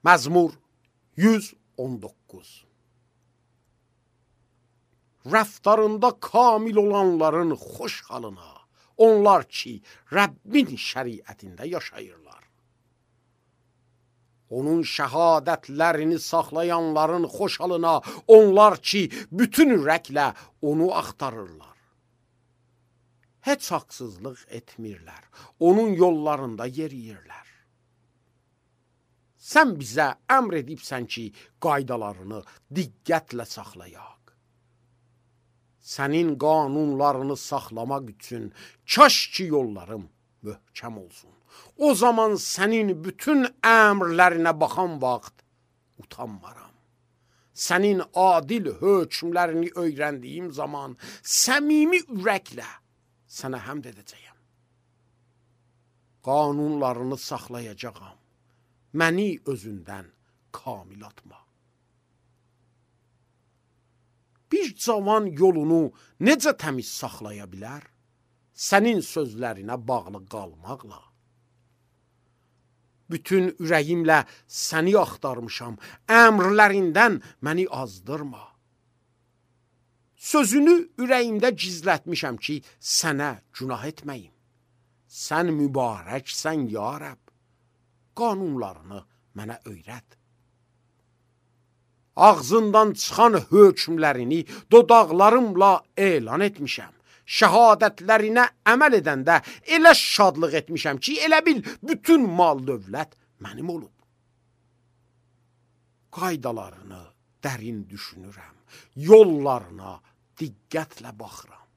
Məzmur 119. Rəftarında kamil olanların xoş halına, onlar ki, Rəbbin şəriətində yaşayırlar. Onun şəhadətlərini saxlayanların xoş halına, onlar ki, bütün ürəklə onu axtarırlar. Heç haqsızlıq etmirlər, onun yollarında yeriyirlər. Sən bizə əmr edibsən ki, qaydalarını diqqətlə saxlayaq. Sənin qanunlarını saxlamaq üçün kaş ki yollarım möhkəm olsun. O zaman sənin bütün əmrlərinə baxan vaxt utanmaram. Sənin adil hökmlərini öyrəndiyim zaman səmimi ürəklə sənə həmd edəcəyəm. Qanunlarını saxlayacağam. Məni özündən kamil atma. Bir cavan yolunu necə təmiz saxlaya bilər? Sənin sözlərinə bağlı qalmaqla. Bütün ürəyimlə səni axtarmışam, əmrlərindən məni azdırma. Sözünü ürəyimdə gizlətmişəm ki, sənə günah etməyim. Sən mübarəksən ya Rəbb, qanunlarını mənə öyrət. Ağzından çıxan hökmlərini dodaqlarımla elan etmişəm. Şəhadətlərinə əməl edəndə elə şadlıq etmişəm ki, elə bil bütün mal dövlət mənim olub. Qaydalarını dərin düşünürəm, yollarına diqqətlə baxıram.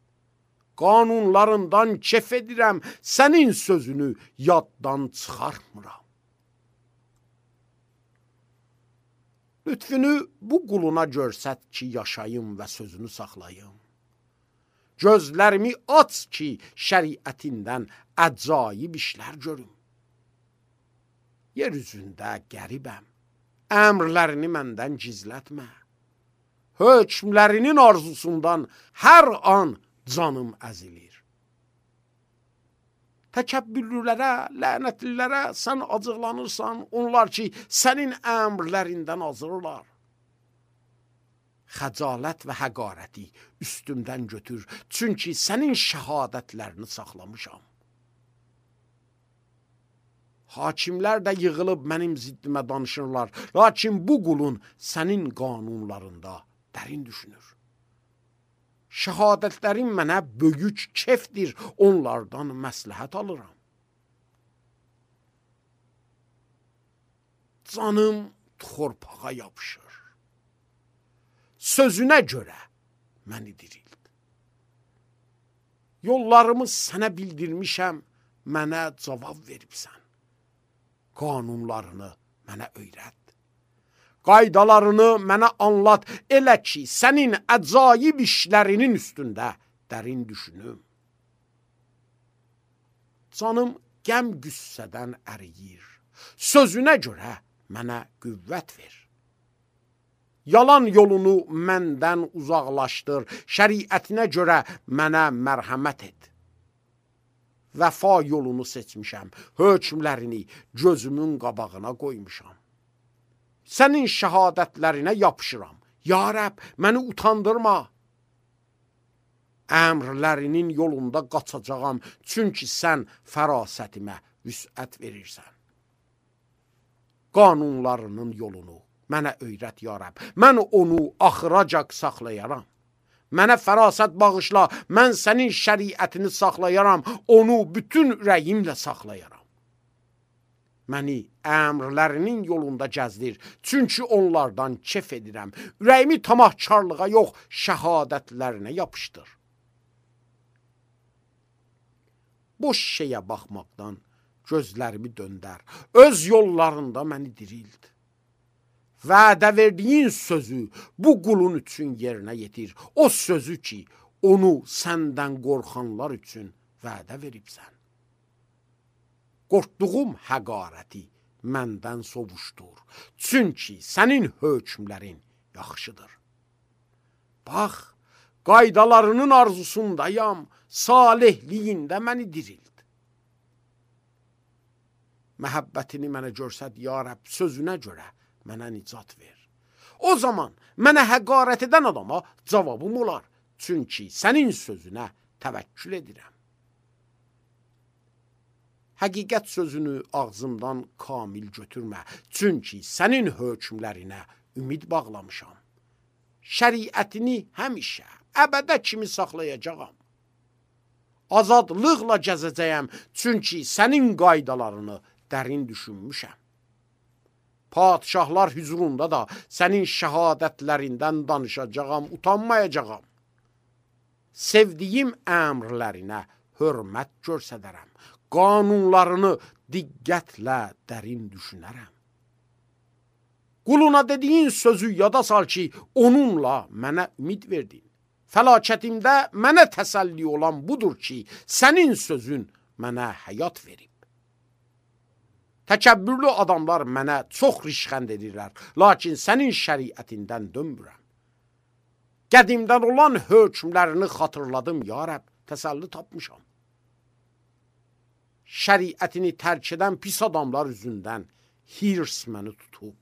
Qanunlarından kef edirəm, sənin sözünü yaddan çıxartmıram. Lütfünü bu quluna görsət ki, yaşayım və sözünü saxlayım. Gözlərimi aç ki, şəriətindən əcaib işlər görüm. Yer üzündə qəribəm, əmrlərini məndən gizlətmə. Hökmlərinin arzusundan hər an canım əzilir. Təkəbbürlülərə, lənətlilərə sən acıqlanırsan, onlar ki, sənin əmrlərindən azırlar. Xəcalət və həqarəti üstümdən götür, çünki sənin şəhadətlərini saxlamışam. Hakimlər də yığılıb mənim ziddimə danışırlar, lakin bu qulun sənin qanunlarında dərin düşünür. Şəhadətlərin mənə böyük kefdir, onlardan məsləhət alıram. Canım torpağa yapışır. Sözünə görə məni dirild. Yollarımı sənə bildirmişəm, mənə cavab veribsən. Qanunlarını mənə öyrət. Qaydalarını mənə anlat, elə ki, sənin əcaib işlərinin üstündə dərin düşünüm. Canım qəm qüssədən əriyir. Sözünə görə mənə qüvvət ver. Yalan yolunu məndən uzaqlaşdır, şəriətinə görə mənə mərhəmət et. Vəfa yolunu seçmişəm, hökmlərini gözümün qabağına qoymuşam. Sənin şəhadətlərinə yapışıram. Ya Rəbb, məni utandırma. Əmrlərinin yolunda qaçacağam, çünki sən fərasətimə vüsət verirsən. Qanunlarının yolunu mənə öyrət ya Rəbb. Mən onu axıracaq saxlayaram. Mənə fərasət bağışla, mən sənin şəriətini saxlayaram, onu bütün ürəyimlə saxlayaram. Məni əmrlərinin yolunda gəzdir, çünki onlardan kef edirəm. Ürəyimi tamahkarlığa yox, şəhadətlərinə yapışdır. Boş şeyə baxmaqdan gözlərimi döndər, öz yollarında məni dirild. Vədə verdiyin sözü bu qulun üçün yerinə yetir. O sözü ki, onu səndən qorxanlar üçün vədə veribsən. Qorxduğum həqarəti məndən sovuşdur. Çünki sənin hökmlərin yaxşıdır. Bax, qaydalarının arzusundayam, salihliyində məni dirild. məhəbbətini mənə görsət, ya Rəbb, sözünə görə mənə nicat ver. O zaman mənə həqarət edən adama cavabım olar, çünki sənin sözünə təvəkkül edirəm. Həqiqət sözünü ağzımdan kamil götürmə, çünki sənin hökmlərinə ümid bağlamışam. Şəriətini həmişə, əbədə kimi saxlayacağam. Azadlıqla gəzəcəyəm, çünki sənin qaydalarını dərin düşünmüşəm. Padişahlar hüzurunda da sənin şəhadətlərindən danışacağam, utanmayacağam. Sevdiyim əmrlərinə hörmət göstərərəm. Qanunlarını diqqətlə dərin düşünərəm. Quluna dediyin sözü yada sal ki, onunla mənə ümid verdin. Fəlakətimdə mənə təsəlli olan budur ki, sənin sözün mənə həyat verib. Təkəbbürlü adamlar mənə çox rişxənd edirlər, lakin sənin şəriətindən dönmürəm. Qədimdən olan hökmlərini xatırladım, ya Rəbb, təsəlli tapmışam. Şəriətini tərk edən pis adamlar üzündən hirs məni tutub.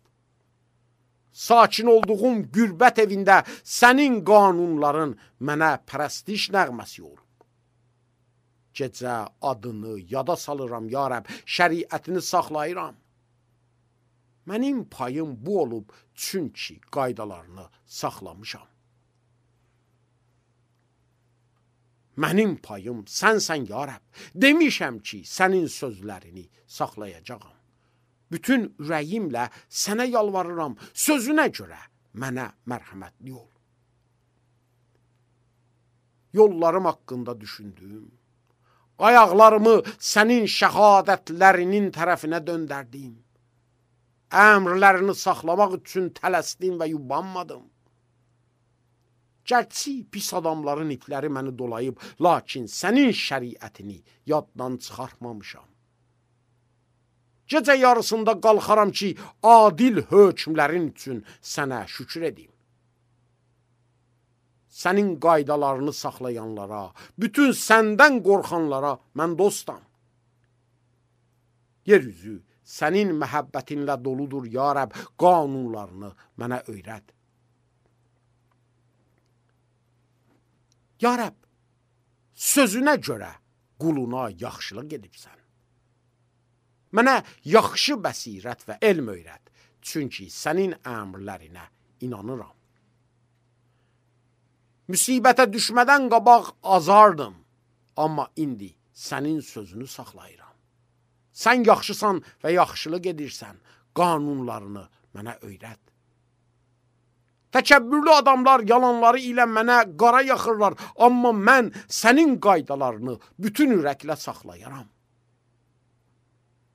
Sakin olduğum gürbət evində sənin qanunların mənə pərəstiş nəğməsi olub. Gecə adını yada salıram, ya Rəbb, şəriətini saxlayıram. Mənim payım bu olub, çünki qaydalarını saxlamışam. Mənim payım sənsən, ya Rəbb. Demişəm ki, sənin sözlərini saxlayacağam. Bütün ürəyimlə sənə yalvarıram, sözünə görə mənə mərhəmətli ol. Yollarım haqqında düşündüm, ayaqlarımı sənin şəhadətlərinin tərəfinə döndərdim. Əmrlərini saxlamaq üçün tələsdim və yubanmadım. Gərçi pis adamların ipləri məni dolayıb, lakin sənin şəriətini yaddan çıxartmamışam. Gecə yarısında qalxaram ki, adil hökmlərin üçün sənə şükür edim. Sənin qaydalarını saxlayanlara, bütün səndən qorxanlara mən dostam. Yeryüzü sənin məhəbbətinlə doludur, ya Rəbb, qanunlarını mənə öyrət. Ya Rəbb, sözünə görə quluna yaxşılıq edibsən. Mənə yaxşı bəsirət və elm öyrət, çünki sənin əmrlərinə inanıram. Müsibətə düşmədən qabaq azardım, amma indi sənin sözünü saxlayıram. Sən yaxşısan və yaxşılıq edirsən, qanunlarını mənə öyrət. Təkəbbürlü adamlar yalanları ilə mənə qara yaxırlar, amma mən sənin qaydalarını bütün ürəklə saxlayaram.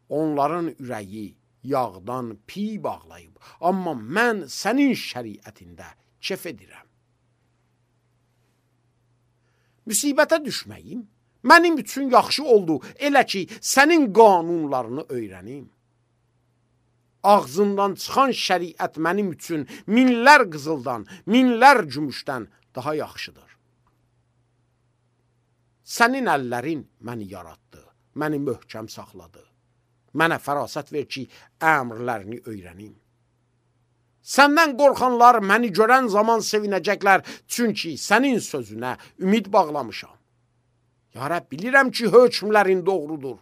Onların ürəyi yağdan piy bağlayıb, amma mən sənin şəriətində kef edirəm. Müsibətə düşməyim mənim üçün yaxşı oldu, elə ki, sənin qanunlarını öyrənim. Ağzından çıxan şəriət mənim üçün minlər qızıldan, minlər gümüşdən daha yaxşıdır. Sənin əllərin məni yaratdı, məni möhkəm saxladı. Mənə fərasət ver ki, əmrlərini öyrənim. Səndən qorxanlar məni görən zaman sevinəcəklər, çünki sənin sözünə ümid bağlamışam. Ya Rəbb, bilirəm ki, hökmlərin doğrudur.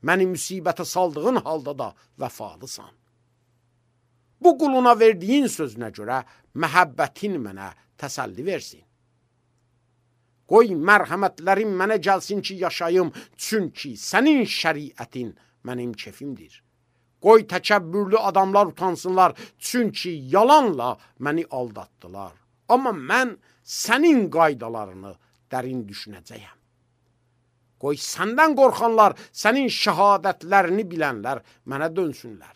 Məni müsibətə saldığın halda da vəfalısan. Bu quluna verdiyin sözünə görə məhəbbətin mənə təsəlli versin. Qoy mərhəmətlərin mənə gəlsin ki, yaşayım, çünki sənin şəriətin mənim kefimdir. Qoy təkəbbürlü adamlar utansınlar, çünki yalanla məni aldatdılar. Amma mən sənin qaydalarını dərin düşünəcəyəm. Qoy səndən qorxanlar, sənin şəhadətlərini bilənlər mənə dönsünlər.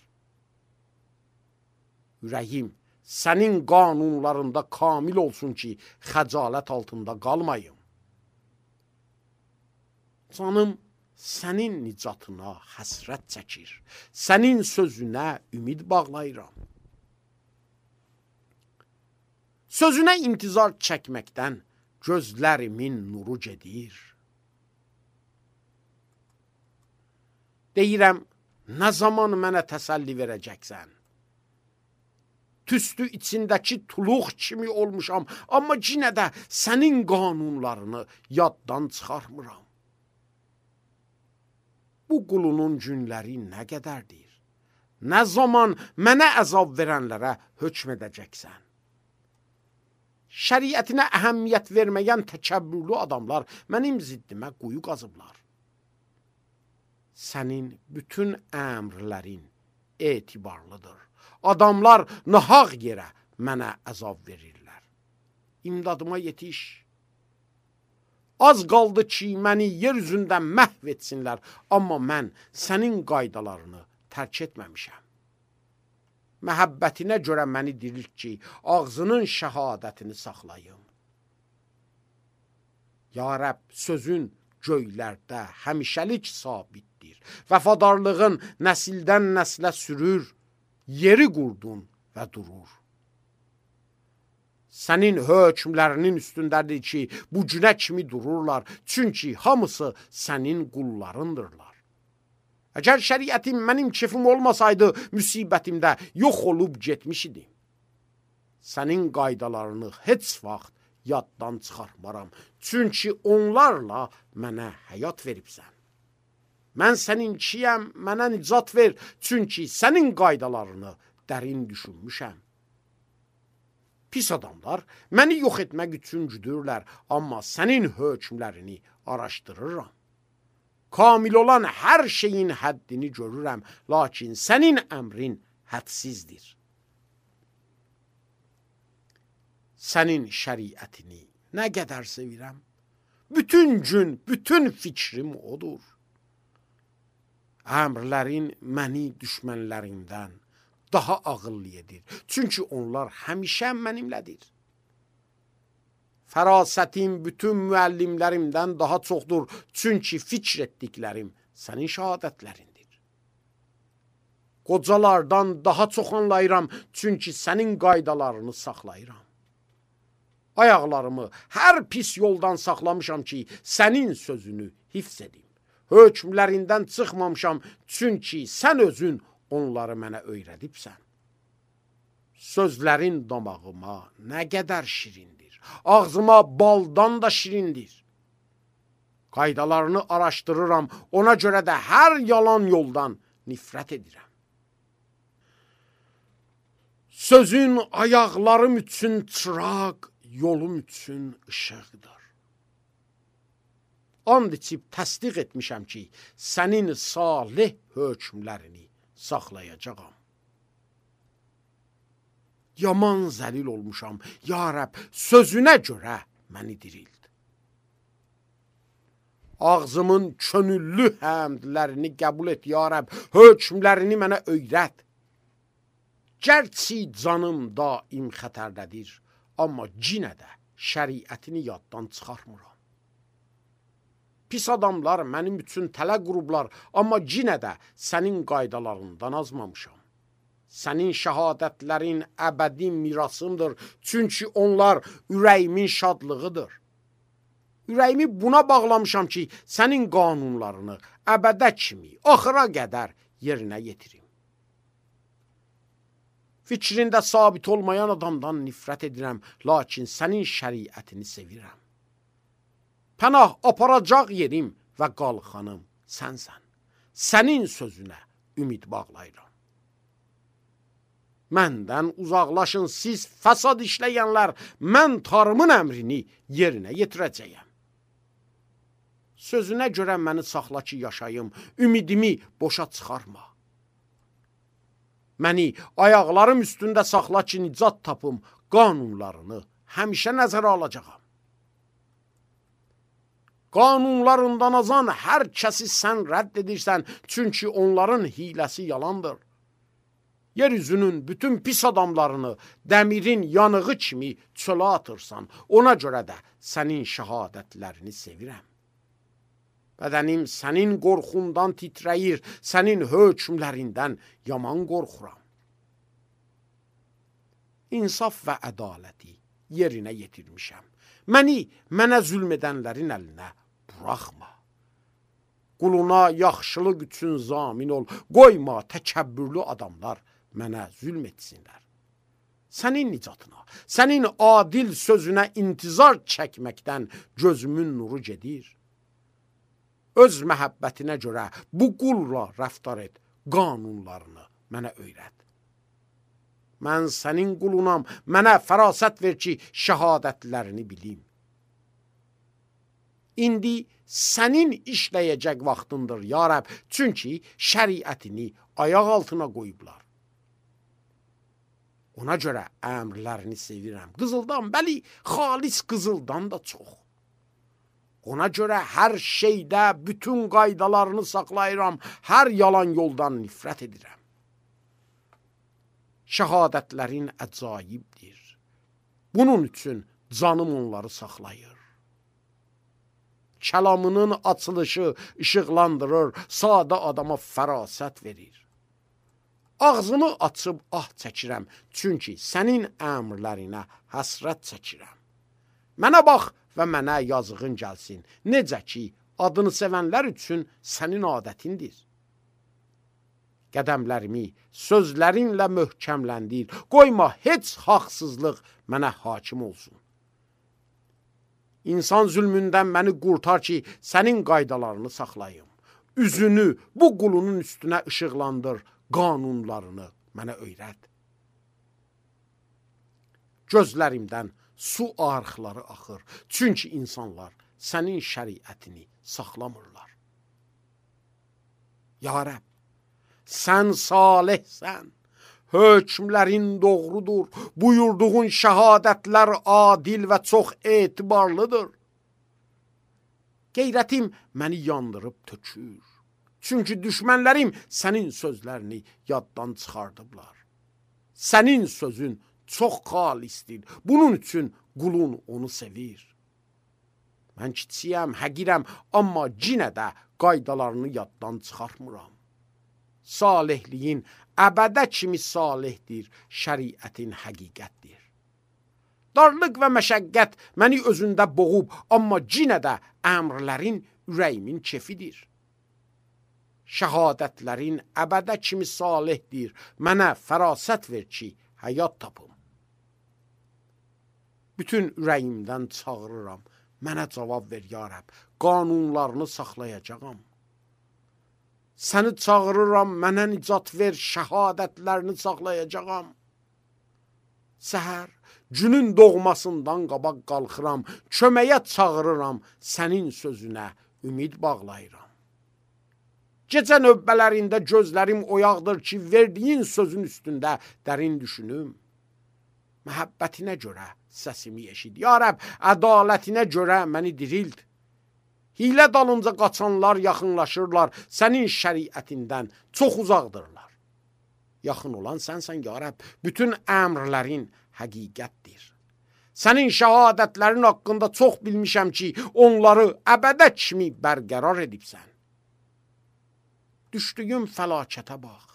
Ürəyim sənin qanunlarında kamil olsun ki, xəcalət altında qalmayım. Canım sənin nicatına həsrət çəkir, sənin sözünə ümid bağlayıram. Sözünə intizar çəkməkdən gözlərimin nuru gedir. Deyirəm, Nə zaman mənə təsəlli verəcəksən? Tüstü içindəki tuluq kimi olmuşam, amma yenə də sənin qanunlarını yaddan çıxarmıram. Bu qulunun günləri nə qədərdir? Nə zaman mənə əzab verənlərə hökm edəcəksən? Şəriətinə əhəmiyyət verməyən təkəbbürlü adamlar mənim ziddimə quyu qazıblar. Sənin bütün əmrlərin etibarlıdır. Adamlar nahaq yerə mənə əzab verirlər. İmdadıma yetiş. Az qaldı ki, məni yer üzündən məhv etsinlər, amma mən sənin qaydalarını tərk etməmişəm. Məhəbbətinə görə məni dirilt ki, ağzının şəhadətini saxlayım. Ya Rəbb, sözün göylərdə həmişəlik sabitdir. Vəfadarlığın nəsildən nəslə sürür, yeri qurdun və durur. Sənin hökmlərinin üstündədir ki, bu günə kimi dururlar, çünki hamısı sənin qullarındırlar. Əgər şəriətim mənim kefim olmasaydı, müsibətimdə yox olub getmiş idim. Sənin qaydalarını heç vaxt yaddan çıxarmaram, çünki onlarla mənə həyat veribsən. Mən səninkiyəm, mənə nicat ver, çünki sənin qaydalarını dərin düşünmüşəm. Pis adamlar məni yox etmək üçün güdürlər, amma sənin hökmlərini araşdırıram. Kamil olan hər şeyin həddini görürəm, lakin sənin əmrin hədsizdir. Sənin şəriətini nə qədər sevirəm? Bütün gün, bütün fikrim odur. Əmrlərin məni düşmənlərimdən daha ağıllı edir. Çünki onlar həmişə mənimlədir. Fərasətim bütün müəllimlərimdən daha çoxdur. Çünki fikr etdiklərim sənin şəhadətlərindir. Qocalardan daha çox anlayıram. Çünki sənin qaydalarını saxlayıram. Ayaqlarımı hər pis yoldan saxlamışam ki, sənin sözünü hifz edim. Hökmlərindən çıxmamışam, çünki sən özün onları mənə öyrədibsən. Sözlərin damağıma nə qədər şirindir, ağzıma baldan da şirindir. Qaydalarını araşdırıram, ona görə də hər yalan yoldan nifrət edirəm. Sözün ayaqlarım üçün çıraq, yolum üçün işıqdır. And içib təsdiq etmişəm ki, sənin salih hökmlərini saxlayacağam. Yaman zəlil olmuşam, ya Rəbb, sözünə görə məni dirild. Ağzımın könüllü həmdlərini qəbul et, ya Rəbb, hökmlərini mənə öyrət. Gərçi canım daim xətərdədir, amma cinə də şəriətini yaddan çıxarmıram. Pis adamlar mənim üçün tələ qurublar, amma cinə də sənin qaydalarından azmamışam. Sənin şəhadətlərin əbədi mirasımdır, çünki onlar ürəyimin şadlığıdır. Ürəyimi buna bağlamışam ki, sənin qanunlarını əbədə kimi, axıra qədər yerinə yetirim. Fikrində sabit olmayan adamdan nifrət edirəm, lakin sənin şəriətini sevirəm. Pənah aparacaq yerim və qalxanım sənsən. Sənin sözünə ümid bağlayıram. Məndən uzaqlaşın siz fəsad işləyənlər, mən Tanrımın əmrini yerinə yetirəcəyəm. Sözünə görə məni saxla ki, yaşayım, ümidimi boşa çıxarma. Məni ayaqlarım üstündə saxla ki, nicat tapım, qanunlarını həmişə nəzərə alacağam. Qanunlarından azan hər kəsi sən rədd edirsən, çünki onların hiləsi yalandır. Yeryüzünün bütün pis adamlarını dəmirin yanığı kimi çölə atırsan, ona görə də sənin şəhadətlərini sevirəm. Bədənim sənin qorxundan titrəyir, sənin hökmlərindən yaman qorxuram. İnsaf və ədaləti yerinə yetirmişəm. Mənə zülm edənlərin əlinə buraxma. Quluna yaxşılıq üçün zamin ol, qoyma təkəbbürlü adamlar mənə zülm etsinlər. Sənin nicatına, sənin adil sözünə intizar çəkməkdən gözümün nuru gedir. Öz məhəbbətinə görə bu qulla rəftar et, qanunlarını mənə öyrət. Mən sənin qulunam, mənə fərasət ver ki, şəhadətlərini bilim. İndi sənin işləyəcək vaxtındır, ya Rəbb, çünki şəriətini ayaq altına qoyublar. Ona görə əmrlərini sevirəm. Qızıldan, bəli, xalis qızıldan da çox. Ona görə hər şeydə bütün qaydalarını saxlayıram, hər yalan yoldan nifrət edirəm. Şəhadətlərin əcaibdir. Bunun üçün canım onları saxlayır. Kəlamının açılışı işıqlandırır, sadə adama fərasət verir. Ağzımı açıb ah çəkirəm, çünki sənin əmrlərinə həsrət çəkirəm. Mənə bax və mənə yazığın gəlsin, necə ki, adını sevənlər üçün sənin adətindir. Qədəmlərimi sözlərinlə möhkəmləndir, qoyma heç haqsızlıq mənə hakim olsun. İnsan zülmündən məni qurtar ki, sənin qaydalarını saxlayım. Üzünü bu qulunun üstünə işıqlandır, qanunlarını mənə öyrət. Gözlərimdən su arxları axır, çünki insanlar sənin şəriətini saxlamırlar. Ya Rəbb, sən salihsən, hökmlərin doğrudur, buyurduğun şəhadətlər adil və çox etibarlıdır. Qeyrətim məni yandırıb tökür. Çünki düşmənlərim sənin sözlərini yaddan çıxardıblar. Sənin sözün çox xalisdir. Bunun üçün qulun onu sevir. Mən kiçiyəm, həqirəm, amma yenə də qaydalarını yaddan çıxartmıram. Salihliyin əbədə kimi salihdir, şəriətin həqiqətdir. Darlıq və məşəqqət məni özündə boğub, amma yenə də əmrlərin ürəyimin kefidir. Şəhadətlərin əbədə kimi salihdir, mənə fərasət ver ki, həyat tapım. Bütün ürəyimdən çağırıram, mənə cavab ver, ya Rəbb, qanunlarını saxlayacağam. Səni çağırıram, mənə nicat ver, şəhadətlərini saxlayacağam. Səhər, günün doğmasından qabaq qalxıram, köməyə çağırıram, sənin sözünə ümid bağlayıram. Gecə növbələrində gözlərim oyaqdır ki, verdiyin sözün üstündə dərin düşünüm. Məhəbbətinə görə səsimi eşid. Ya Rəbb, ədalətinə görə məni dirild. Hilə dalınca qaçanlar yaxınlaşırlar, sənin şəriətindən çox uzaqdırlar. Yaxın olan sənsən, ya Rəbb, bütün əmrlərin həqiqətdir. Sənin şəhadətlərin haqqında çox bilmişəm ki, onları əbədə kimi bərqərar edibsən. Düşdüyüm fəlakətə bax,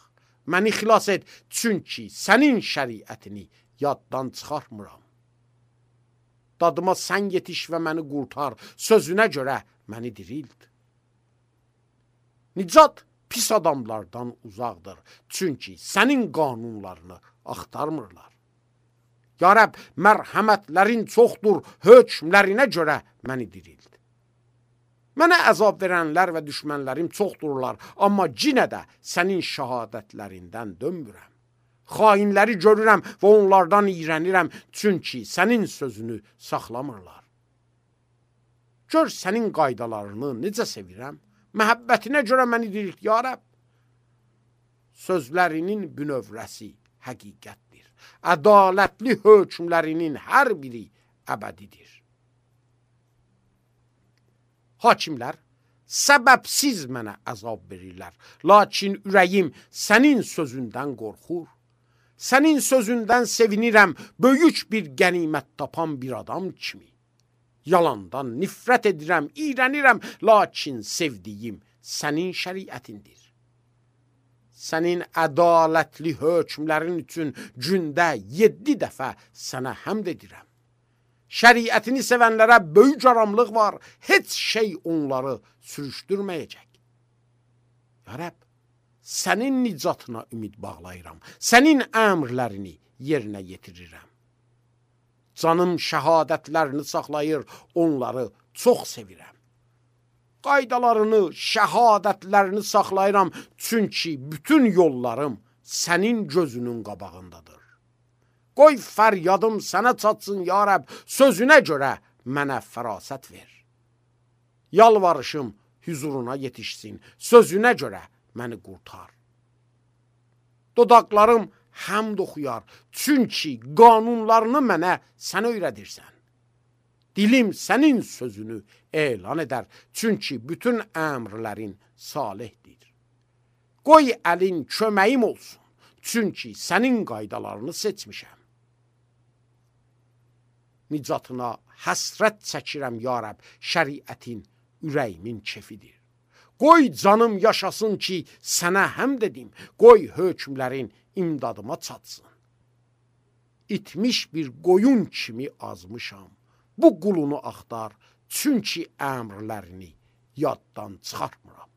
məni xilas et, çünki sənin şəriətini yaddan çıxartmıram. Dadıma sən yetiş və məni qurtar, sözünə görə məni dirild. Nicat pis adamlardan uzaqdır, çünki sənin qanunlarını axtarmırlar. Ya Rəbb, mərhəmətlərin çoxdur, hökmlərinə görə məni dirild. Mənə əzab verənlər və düşmənlərim çoxdurlar, amma yenə də sənin şəhadətlərindən dönmürəm. Xainləri görürəm və onlardan iyrənirəm, çünki sənin sözünü saxlamırlar. Gör sənin qaydalarını necə sevirəm, məhəbbətinə görə məni dirilt, ya Rəbb. Sözlərinin bünövrəsi həqiqətdir. Ədalətli hökmlərinin hər biri əbədidir. Hakimlər səbəbsiz mənə əzab verirlər, lakin ürəyim sənin sözündən qorxur. Sənin sözündən sevinirəm, böyük bir qənimət tapan bir adam kimi. Yalandan nifrət edirəm, iyrənirəm, lakin sevdiyim sənin şəriətindir. Sənin ədalətli hökmlərin üçün gündə 7 dəfə sənə həmd edirəm. Şəriətini sevənlərə böyük aramlıq var, heç şey onları sürüşdürməyəcək. Ya Rəbb, sənin nicatına ümid bağlayıram. Sənin əmrlərini yerinə yetirirəm. Canım şəhadətlərini saxlayır, onları çox sevirəm. Qaydalarını, şəhadətlərini saxlayıram, çünki bütün yollarım sənin gözünün qabağındadır. Qoy fəryadım sənə çatsın, ya Rəbb, sözünə görə mənə fərasət ver. Yalvarışım huzuruna yetişsin, sözünə görə məni qurtar. Dodaqlarım həmd oxuyar, çünki qanunlarını mənə sən öyrədirsən. Dilim sənin sözünü elan edər, çünki bütün əmrlərin salihdir. Qoy əlin köməyim olsun, çünki sənin qaydalarını seçmişəm. Nicatına həsrət çəkirəm, ya Rəbb, şəriətin ürəyimin kefidir. Qoy canım yaşasın ki, sənə həmd edim, qoy hökmlərin imdadıma çatsın. İtmiş bir qoyun kimi azmışam, bu qulunu axtar, çünki əmrlərini yaddan çıxartmıram.